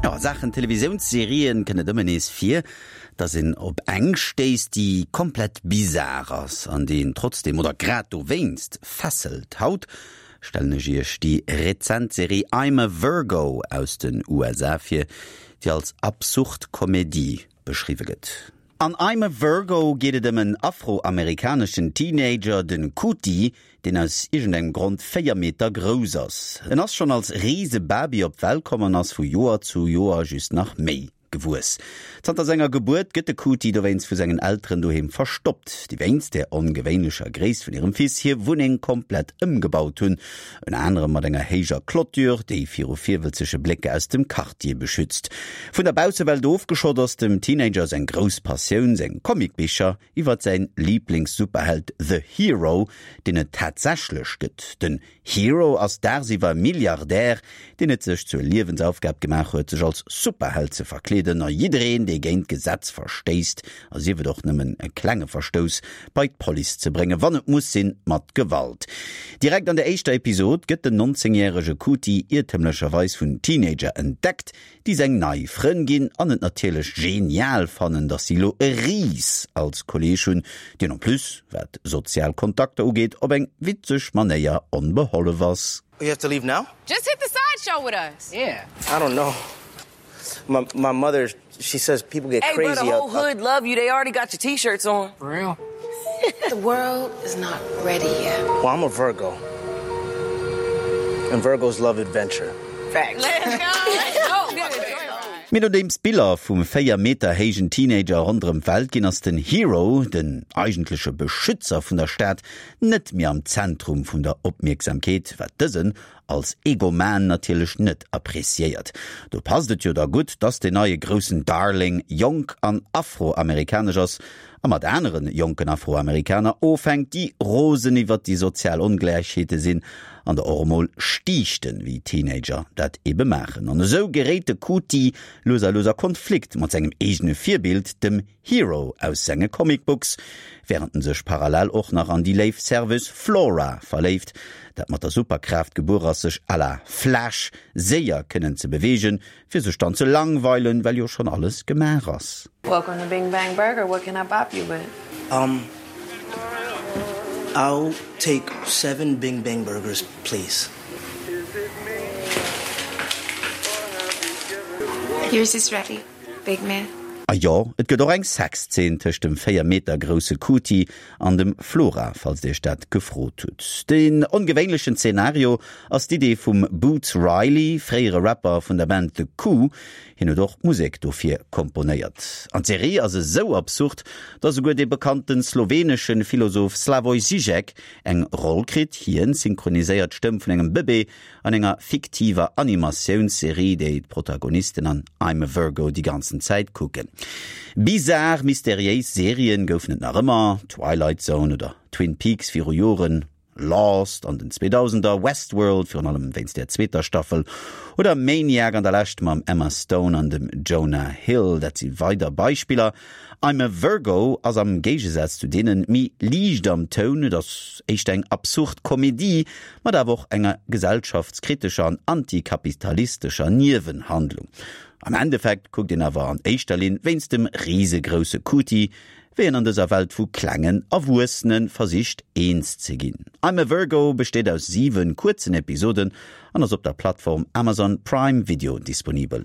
Jo, a Saachen Televisiounsserien kënnt et ëmmer nees vir, dass een op eng stéisst, déi komplett bizar ass an déi een trotzdeem, oder grad dowéinst, fesselt. Haut stellen ech iech déi rezent Serie I'm a Virgo aus den USA vir, déi als absurd Komedie beschriwwe gëtt. An I'm a Virgo geet et ëm en afroamerikaneschen Teenager, den Kuti, deen aus iergendengem Grond 4 Meter grouss ass. En ass schonn als Risebaby op d'Welt komm an ass vu Joer zu Joer just nach méi gewuess. Zanter senger Gebuert gëtt de Kuti dowéinst vu sengen Elteren doheem verstoppt, déi wéinst der ongewéinlecher Gréisst vun hirem Fils hir Wunneng komplett ëmgebaut hunn. Ënner anerem mat enger héijer Clôture, déi viru virwëlzege Blécker aus dem Quartier beschützt. Vun der Baussewelt ofgeschott ass dem Teenager seng grouss Passioun seng Comicbicher iwwert säin Liiblings-Superheld The Hero, deen et tatsächlech gëtt. Den Hero ass dagsiwwer Milliardär, deen et sech zur Liewensaufgab gemaach huet, sech als Superheld ze verkleeden a jiddereen, dee géint d'Gesetz verstéisst, a sief et och nëmmen e klenge Verstouss, bei d'Police ze bréngen, wann et muss sinn, mat Gewalt. Direkt an der éischter Episod gëtt den 19 järege Kuti iertemlecherweis vun Teenager entdeckt, déi seng nei Frënn ginn an et natierlech genial fannen, dass si lo e Ris als Kolleeg hunn, deen en plus, wat sozial Kontakter ugeet, op eng witzeg Manéier onbehollef ass. You have to leave now? Just hit the sideshow with us. Yeah. I don't know. My my mother she says people get hey, crazy bro, the whole hood love you. They already got your t-shirts on. For real? The world is not ready yet. Well, I'm a Virgo. And Virgos love adventure. Facts. Let's go. Let's go. Mee nodeems d'Biller vum 4 Meter héijen Teenager ronderëm d'Welt ginn, ass den Hero, den eigentleche Beschützer vun der Stad, net méi am Zentrum vun der Opmierksamkeet, wat dësen als Egoman natierlech net appreciéiert. Do passt et jo da gutt, dass den neie groussen Darling jonk an afroamerikanesch ass a mat anere jonken Afroamerikaner ofhänkt, déi rosen iwwert déi sozial Ongläichheete sinn an der och emol stiichten, wéi Teenager dat ebe maachen. An esou geréit de Kuti lues a lues a Konflikt mat sengem eegene Virbild, dem Hero aus senge Comic Books, wärend en sech parallel och nach an déi léif Serveuse Flora verléift, dat mat der Superkraaft gebuer ass, sech à la Flash séier kënnen ze beweegen, fir sech dann ze langweilen, well jo schonn alles gemaach ass. Welcome to Bing Bang Burger, what can I bop you with? Um, I'll take seven Bing Bang Burgers, please. Yours is ready. Big man. A jo, et gëtt och eng Sexzeen tëscht dem 4 Meter grousse Kuti an dem Flora, falls dir iech dat gefrot hutt. Den ongewéinlechen Zenario ass d'Idee vum Boots Riley, fréiere Rapper vun der Band The Coup. Hien huet och d'Musek dofir komponéiert. An d'Serie ass esou absurd, datt esouguer dee bekannte slowenesche Philosoph Slavoj Žižek eng Roll kritt. Hien synchroniséiert d'Stëmm vun engem Bëbee An enger fiktiver Animatiounsserie, déi d'Protagonisten an I'm a Virgo déi ganzen Zäit kucken. Bizar, mysteriéis Serien goufen et nach ëmmer, Twilight Zone oder Twin Peaks viru Joren, Lost an den Zweedausender, Westworld, virun allem wéinst der zweeter Staffel, oder Maniac an der Lescht mam Emma Stone an dem Jonah Hill, dat si weider Beispiller. I'm a Virgo ass am Géigesaz zu deenen méi liicht am Toun, et ass éischter eng absurd Komedie, mat awer och enger gesellschaftskritescher an antikapitalistescher Niewenhandlung. Am Endeffekt kuckt een awer an éischter Linn wéinst dem risegrousse Kuti, wéi en an dëser Welt vu klengen Erwuessene versicht eens ze ginn. I'm a Virgo besteet aus 7 kuerzen Episoden an ass op der Plattform Amazon Prime Video disponibel.